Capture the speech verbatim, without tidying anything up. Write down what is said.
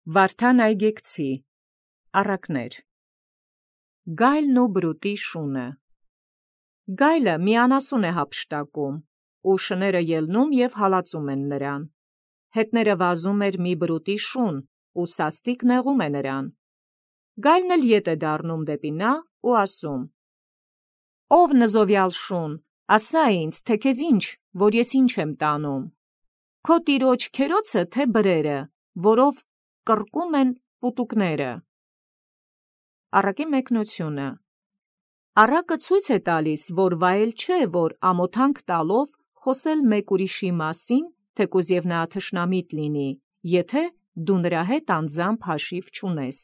Վարդան այգեկցի, առակներ։ Գայլն ու բրուտի շունը։ Գայլը միանասուն է հափշտակում, ու շները ելնում և հալածում են նրան։ Հետները վազում էր մի բրուտի շուն, ու սաստիկ նեղում է նրան։ Գայլն էլ ետ է դառնում դեպի նա ու ասում. «Ով նզովյալ շուն, ասա ինձ, թե քեզ ինչ, որ ես ինչ եմ տանում։ Քո տիրոջ քերոցը, թե բրերը, որով կռկում են պուտուկները»։ Առակի մեկնությունը։ Առակը ցույց է տալիս, որ վայել չէ, որ ամոթանք տալով խոսել մեկ ուրիշի մասին, թեկուզ և նա թշնամիտ լինի, եթե դու նրա հետ անձամբ հաշիվ չունես։